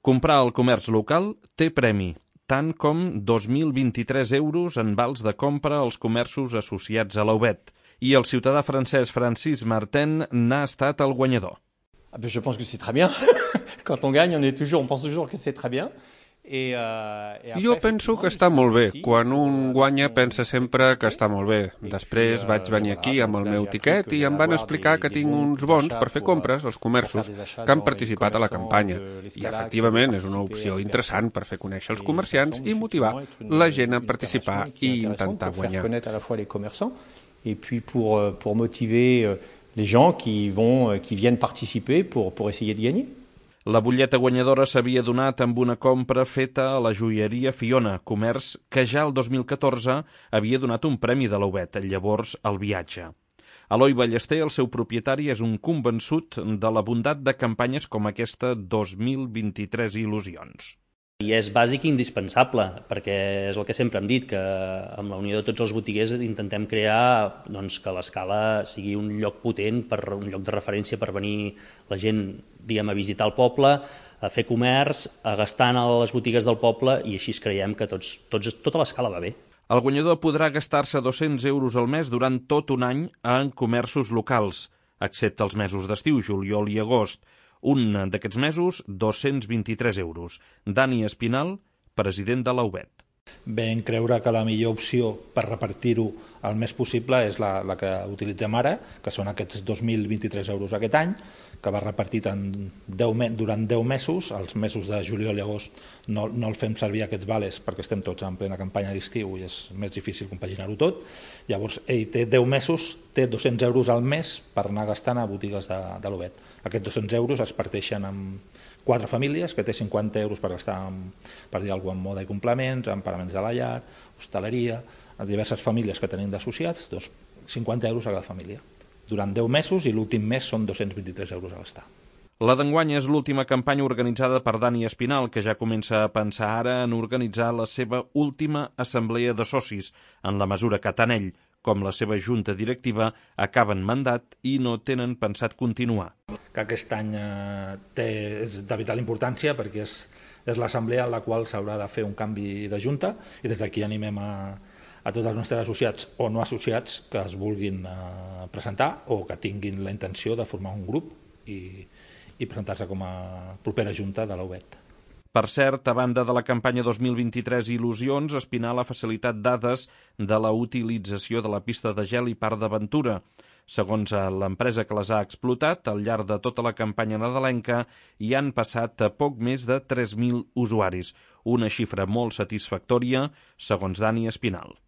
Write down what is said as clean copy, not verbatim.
Comprar al comerç local té premi, tant com 2.023 euros en vals de compra als comerços associats a l'Aubet. I el ciutadà francès Francis Martin n'ha estat el guanyador. Je pense que c'est très bien. Quand on gagne, on pense toujours que c'est très bien. Jo penso que està molt bé. Quan un guanya pensa sempre que està molt bé. Després vaig venir aquí amb el meu tiquet i em van explicar que tinc uns bons per fer compres als comerços que han participat a la campanya. I efectivament és una opció interessant per fer conèixer els comerciants i motivar la gent a participar i intentar guanyar. Et puis pour motiver les gens qui viennent participer pour essayer de gagner. La butlleta guanyadora s'havia donat amb una compra feta a la joieria Fiona, comerç que ja el 2014 havia donat un premi de l'Aubet, llavors el viatge. Eloi Ballester, el seu propietari, és un convençut de la bondat de campanyes com aquesta 2023 Il·lusions. I és bàsic i indispensable, perquè és el que sempre hem dit, que amb la unió de tots els botiguers intentem crear que l'Escala sigui un lloc potent, un lloc de referència per venir la gent a visitar el poble, a fer comerç, a gastar a les botigues del poble, i així creiem que tota l'Escala va bé. El guanyador podrà gastar-se 200 euros al mes durant tot un any en comerços locals, excepte els mesos d'estiu, juliol i agost. Un d'aquests mesos, 223 euros. Dani Espinal, president de l'Aubet. Vam creure que la millor opció per repartir-ho el més possible és la que utilitzem ara, que són aquests 2.023 euros aquest any, que va repartit durant 10 mesos. Els mesos de juliol i agost no el fem servir aquests vales perquè estem tots en plena campanya d'estiu i és més difícil compaginar-ho tot. Llavors, ell té 10 mesos, té 200 euros al mes per anar gastant a botigues de l'Aubet. Aquests 200 euros es parteixen en 4 famílies, que té 50 euros per gastar, per dir alguna cosa, en moda i complements, en pagaments de la llar, hostaleria, a diverses famílies que tenim d'associats, 50 euros a cada família. Durant 10 mesos i l'últim mes són 223 euros a gastar. La d'enguany és l'última campanya organitzada per Dani Espinal, que ja comença a pensar ara en organitzar la seva última assemblea de socis, en la mesura que tant ell com la seva junta directiva acaben mandat i no tenen pensat continuar. Que aquest any és de vital importància perquè és l'assemblea en la qual s'haurà de fer un canvi de junta i des d'aquí animem a tots els nostres associats o no associats que es vulguin presentar o que tinguin la intenció de formar un grup i presentar-se com a propera junta de l'Aubet. Per cert, a banda de la campanya 2023 Il·lusions, Espinal ha facilitat dades de la utilització de la pista de gel i parc d'aventura. Segons l'empresa que les ha explotat, al llarg de tota la campanya nadalenca hi han passat a poc més de 3.000 usuaris, una xifra molt satisfactòria, segons Dani Espinal.